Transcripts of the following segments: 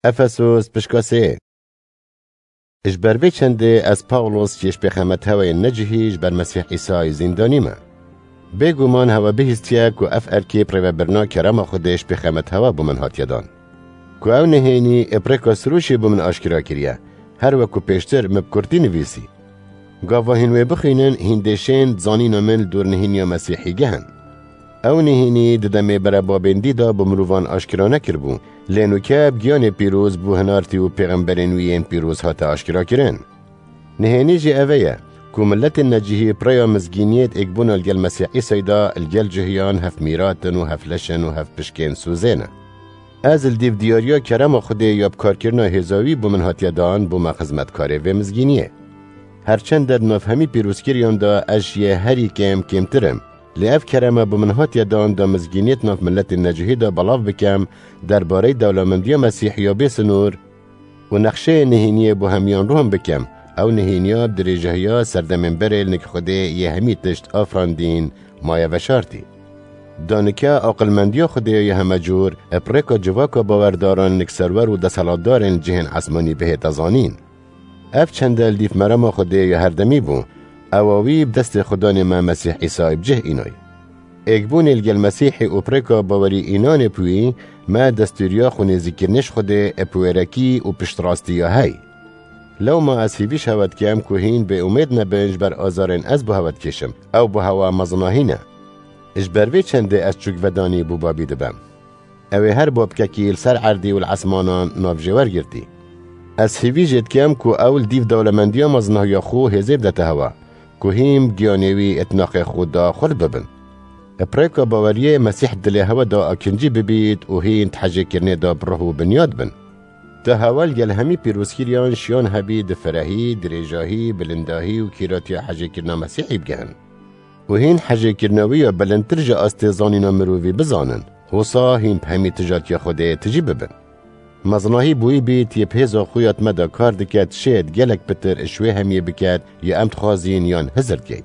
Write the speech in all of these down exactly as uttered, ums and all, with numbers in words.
Efesos pişka sê. Ji ber vê çendê ez Pawlos yê ji pêxemet hewayên necihî ji ber Mesîh Îsayê zîndanî me. Bêguman hewe bihîstiye ku ev erkê bi rêvebirina kerema Xwedê ji pêxemet hewa bo min hatiye dan. Ku ew nihênî ê bi rêka sirûşê bo min aşkera kiriye, her weku pêştir min bi kurtî nivîsî. Gava hîn wê bixwînin, hîn dê şên di zanîna min li dor nihêniya Mesîhî gihin. Ew nihênî di demê berebabên dî de bo mirovan aşkera nekiribû, lê nûke bi giyanê pîroz bo hinartî û pêxemberên wî yên pîroz hate aşkera kirin. Nihênî jî ev e ye, ku miletên necihî bi rêya mizgîniyê di êkbûna li gel Mesîh Îsayê de li gel cihiyan hev mîrat in û hev leş in û hev pişkên sozê ne. Ez li dîv diyariya kerema Xwedê ya bikarkirina hêza wî bo min hatiye dan, bûme xizmetkarê vê mizgîniyê. Her çend di nav hemî pîrozkiriyan de ez ji yê herî kêm kêmtir im, lê ev kerema bo min hatiye dan da mizgîniyê di nav miletên necihî de belav bikem, derbareyê dewlemendiya Mesîhî ya bê sinor û nexşeyê nihêniyê bo hemiyan rohan bikem, ew nihêniya bi dirêjahiya serdemên berê li nik Xwedê yê hemî tişt afirandîn maye veşartî. Da nike aqilmendiya Xwedê ya heme cor, bi rêka civaka bawerdaran nik serwer û desthilatdarên cihên esmanî bihête zanîn. Ev çende li dîv merema Xwedê ya herdemî bû, ewa wî bi destê Xudanê me Mesîh Îsayê bi cih înay. Êkbûnê li gel Mesîhê û bi rêka bawerî înanê bi wî, me destûriya xwinêzîkirinê ji Xwedê bi wêrekî û piştrastî ya hey. Lewma ez hîvî ji hewe dikem ku hîn bêumêd nebin ji ber azarên ez bo hewe dikêşim, ew bo hewe mezinahî ne. Ji ber vê çendê ez çûkvedanî bo Babî dibim. Ew ê her babkekî li ser erdî û li esmanan navjêwer girtî. Ez hîvî jê dikem ku ew li dîv dewlemendiya mezinahiya xwe hêzê bidete hewe, ku hîn bi giyanê wî ê tinaqê xwe de xurt bibin. Bi rêka baweriyê Mesîh dilê hewe de akincî bibît û hîn di hejêkirinê de bi ruh û binyat bin. Da hewe li gel hemî pîrozkiriyan şiyan hebî di firehî, dirêjahî, bilindahî û kîratiya hejêkirina Mesîhî bigihin. Û hîn hejêkirina wî ya bilindtir ji astê zanîna mirovî bizanin, hosa hîn bi hemî tijatiya Xwedê tijî bibin. Mezinahî bo wî bît, yê bi hêza xwe ya di me de kar dike, dişêt gelek pitir ji wê hemiyê biket, ya em dixwazîn yan hizir dikeyn.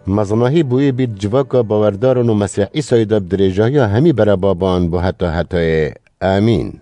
Mezinahî bo wî bît civaka bawerdaran û Mesîh Îsayê de bi dirêjahiya hemî berebaban bo heta hetayê. Amîn.